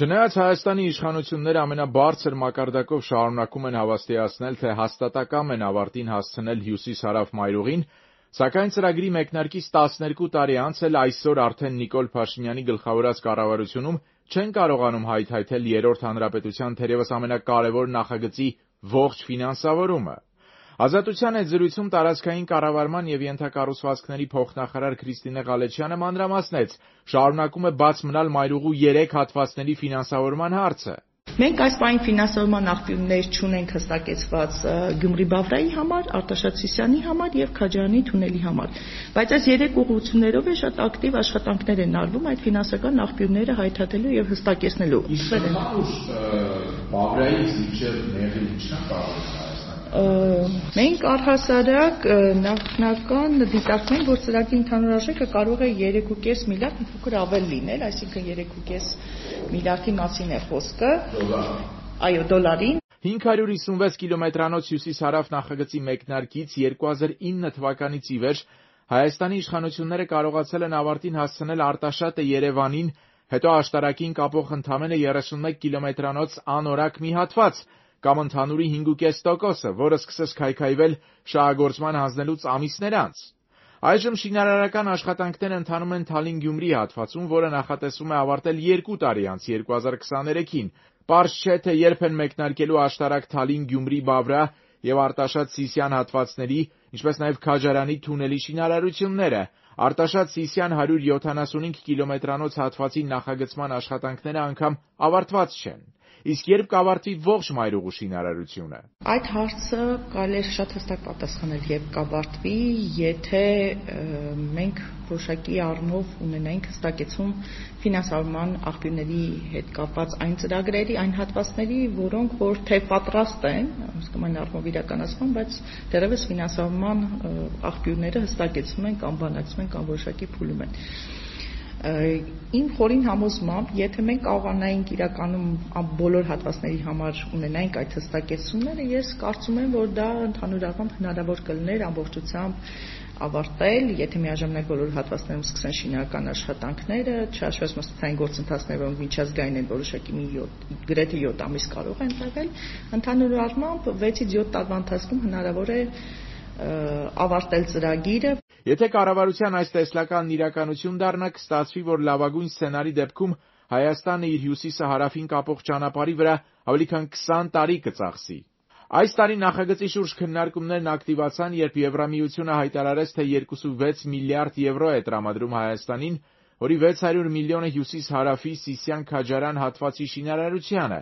Չնայած Հայաստանի իշխանությունները ամենաբարձր մակարդակով շարունակում են հավաստիացնել, թե հաստատակամ են ավարտին հասցնել հյուսիս-հարավ մայրուղին, սակայն ծրագրի մեկնարկից 12 տարի անց էլ այսօր արդեն Նիկոլ Փաշինյանի գլխավորած կառավարությունում չեն կարողանում հայթայթել Երրորդ հանրապետության թերևս ամենակարևոր նախագծի ողջ ֆինանսավորումը։ Ազատության հետ զրույցում տարածքային կառավարման և ենթակառուցվածքների փոխնախարար Քրիստինե Ղալեչյանը մանրամասնեց, շարունակում է բաց մնալ մայրուղու 3 հատվածների ֆինանսավորման հարցը։ Մենք այս պահին ֆինանսավորման աղբյուրներ չունենք հստակեցված Գյումրի-Բավրայի համար, Արտաշատ Սիսիանի համար եւ Քաջարյանի թունելի համար, բայց այս 3 ուղղություններով է շատ ակտիվ աշխատանքներ են արվում այդ ֆինանսական աղբյուրները հայթաթելու եւ հստակեցնելու։ Բավրայից մինչեւ Մեղրի ինչն կարող է Մենք առհասարակ նախնական դիտարկում ենք, որ ծրագրի ընդհանուր արժեքը կարող է 3.5 միլիարդ, մի փոքր ավել լինել, այսինքն 3.5 միլիարդի մասին է խոսքը։ Այո, դոլարին։ 556 կիլոմետրանոց հյուսիս-հարավ նախագծի մեկնարկից 2009 թվականից ի վեր Հայաստանի իշխանությունները կարողացել են ավարտին հասցնել Արտաշատը Երևանին, հետո աշտարակին կապող ընդամենը 31 կիլոմետրանոց անորակ մի հատված, կամ ընդհանուրի 5.5%-ը, որը սկսեց քայքայվել շահագործման հանձնելուց ամիսներ անց։ Այժմ շինարարական աշխատանքները ընթանում են Թալին-Գյումրի հատվածում, որը նախատեսվում է ավարտել 2 տարի անց 2023-ին։ Պարզ չէ, թե երբ են մեկնարկելու աշտարակ Թալին-Գյումրի-Բավրա և Արտաշատ-Սիսիան հատվածների, ինչպես նաև Քաջարյանի թունելի շինարարությունները։ Արտաշատ-Սիսիան 175 կիլոմետրանոց հատվածի նախագծման աշխատանքները անգամ ավարտված չեն։ Իսկ երբ կավարտվի ողջ մայրուղու շինարարությունը։ Այդ հարցը կարելի է շատ հստակ պատասխանել, երբ կավարտվի, եթե մենք որոշակի առումով ունենայինք հստակեցում ֆինանսավորման աղբյուրների հետ կապված այն ծրագրերի, այն հատվածների, որոնք որ թե պատրաստ են, ուսկում են առումով իրականացման, բայց դեռևս ֆինանսավորման աղբյուրները հստակեցում են կամ բանակցում են կամ որոշակի փուլում են։ Իմ խորին համոզմամբ, եթե մենք կարողանայինք իրականում բոլոր հատվածների համար ունենայինք այդ հստակեցումները, ես կարծում եմ, որ դա ընդհանուր առմամբ հնարավոր կլիներ ամբողջությամբ ավարտել, եթե միաժամանակ բոլոր հատվածներում սկսեն շինարարական աշխատանքները, չհաշվելով մշտական գործընթացները, որոնք միջազգային են, որոշակի գրեթե 7 ամիս կարող են տևել, ընդհանուր առմամբ 6-ից 7 տարվա ընթացքում հնարավոր է ավարտել ծրագիրը։ Եթե կառավարության այս տեսլականն իրականություն դառնա, կստացվի, որ լավագույն սցենարի դեպքում Հայաստանը իր հյուսիսը հարավին կապող ճանապարհի վրա ավելի քան 20 տարի կծախսի։ Այս տարի նախագծի շուրջ քննարկումներն ակտիվացան, երբ Եվրամիությունը հայտարարեց, թե 2.6 միլիարդ եվրո է տրամադրում Հայաստանին, որի 600 միլիոնը հյուսիս-հարավի Սիսիան-Քաջարյան հատվածի շինարարությանը,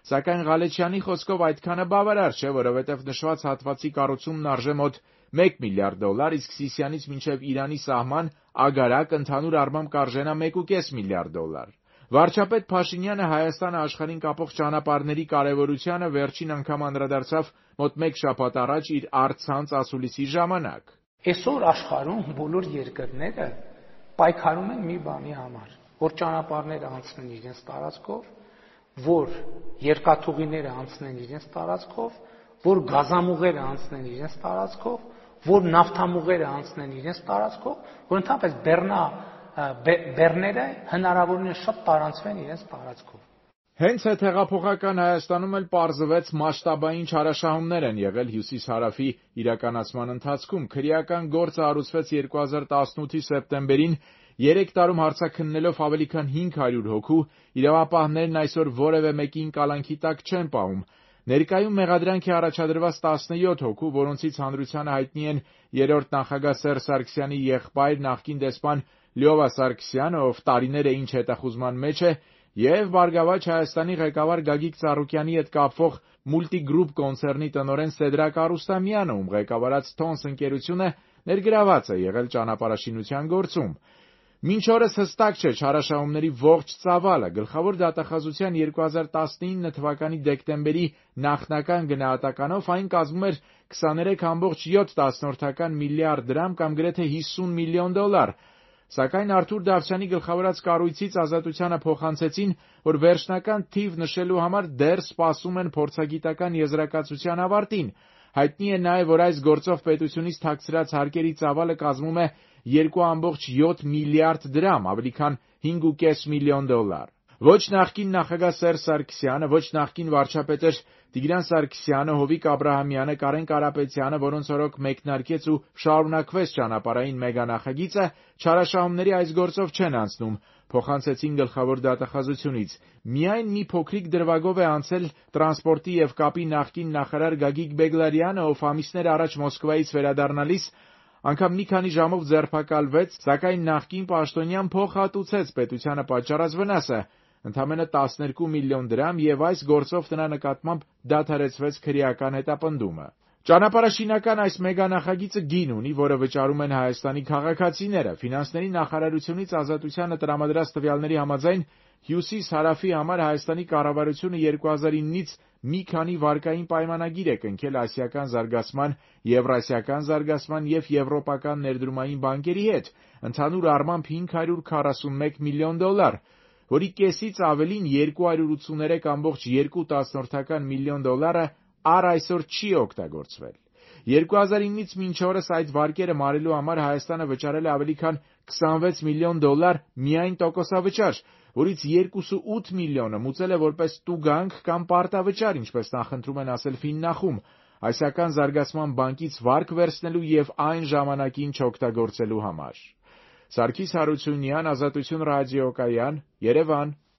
սակայն Ղալեչյանի խոսքով այդքանը բավարար չէ, որովհետև նշված հատվածի կառուցումն արժե մոտ 1 միլիարդ դոլար, իսկ Սիսիանից մինչև Իրանի սահման Ագարակ ընդհանուր առմամբ կարժենա 1.5 միլիարդ դոլար։ Վարչապետ Փաշինյանը Հայաստանը աշխարհին կապող ճանապարհների կարևորությանը վերջին անգամ անդրադարձավ մոտ 1 շաբաթ առաջ իր առցանց ասուլիսի ժամանակ։ Այսօր աշխարհում բոլոր երկրները պայքարում են մի բանի համար, որ ճանապարհները անցնեն իրենց տարածքով, որ երկաթուղիները անցնեն իրենց տարածքով, որ գազամուղերը անցնեն իրենց տարածքով, որ նավթամուղերը անցնեն իրենց տարածքով, որ ընդհանրապես բեռները հնարավորինս շատ տարանցվեն իրենց տարածքով։ Հենց այդ հեղափոխական Հայաստանում էլ պարզվեց մասշտաբային չարաշահումներ են եղել հյուսիս-հարավի իրականացման ընթացքում։ Քրեական գործը հարուցվեց 2018-ի սեպտեմբերին, 3 տարում հարցաքննելով ավելի քան 500 հոգու, իրավապահներն այսօր որևէ մեկին կալանքի տակ չեն պահում։ Ներկայում մեղադրանք է առաջադրված 17 հոգու, որոնցից հանրությանը հայտնի են երրորդ նախագահ Սերժ Սարգսյանի եղբայր նախկին դեսպան Լյովա Սարգսյանը, ով տարիներ է ինչ հետախուզման մեջ է, և «Բարգավաճ Հայաստանի» ղեկավար Գագիկ Ծառուկյանի հետ կապվող Multigroup կոնցեռնի տնօրեն Սեդրակ Արուստամյանը, ում ղեկավարած Թոնս ընկերությունը ներգրաված է եղել ճանապարհաշինության գործում։ Մինչ օրս հստակ չէ չարաշահումների ողջ ծավալը։ Գլխավոր դատախազության 2019 թվականի դեկտեմբերի նախնական գնահատականով այն կազմում էր 23.7 միլիարդ դրամ կամ գրեթե 50 միլիոն դոլար, սակայն Արթուր Դավթյանի գլխավորած կառույցից Ազատությանը փոխանցեցին, որ վերջնական թիվ նշելու համար դեռ սպասում են փորձագիտական եզրակացության ավարտին։ Հայտնի է նաև, որ այս գործով պետությունից թաքցրած հարկերի ծավալը կազմում է 2.7 միլիարդ դրամ, ավելի քան 5.5 միլիոն դոլար։ Ոչ նախկին նախագահ Սերժ Սարգսյանը, ոչ նախկին վարչապետեր Տիգրան Սարգսյանը, Հովիկ Աբրահամյանը, Կարեն Կարապետյանը, որոնց օրոք մեկնարկեց ու շարունակվեց ճանապարհային մեգանախագիծը, չարաշահումների այս գործով չեն անցնում, փոխանցեցին գլխավոր դատախազությունից։ Միայն մի փոքրիկ դրվագով է անցել տրանսպորտի եւ կապի նախկին նախարար Գագիկ Բեգլարյանը, ով ամիսներ առաջ Մոսկվայից վերադառնալիս անգամ մի քանի ժամով ձերբակալվեց, սակայն նախկին պաշտոնյան փոխհատուցեց պետությանը պատճառած վնասը, ընդամենը 12 միլիոն դրամ, եւ այս գործով նրա նկատմամբ դադարեցվեց քրեական հետապնդումը։ Ճանապարհաշինական այս մեգանախագիծը գին ունի, որը վճարում են Հայաստանի քաղաքացիները։ Ֆինանսների նախարարությունից Ազատությանը տրամադրած տվյալների համաձայն Հյուսիս-Հարավի համար Հայաստանի կառավարությունը 2009-ից մի քանի վարկային պայմանագիր է կնքել Ասիական զարգացման, Եվրասիական զարգացման եւ Եվրոպական ներդրումային բանկերի հետ, ընդհանուր առմամբ $541 միլիոն, որի կեսից ավելին $283.2 միլիոն առ այսօր չի օգտագործվել։ 2009-ից մինչ օրս այդ վարկերը մարելու համար Հայաստանը վճարել է ավելի քան $26 միլիոն միայն տոկոսավճար, որից 2.8 միլիոնը մուծել է որպես տուգանք կամ պարտավճար, ինչպես նախընտրում են ասել Ֆիննախում, Ասիական զարգացման բանկից վարկ վերցնելու եւ այն ժամանակին չօգտագործելու համար։ Սարգիս Հարությունյան, Ազատություն ռադիոկայան, Երևան։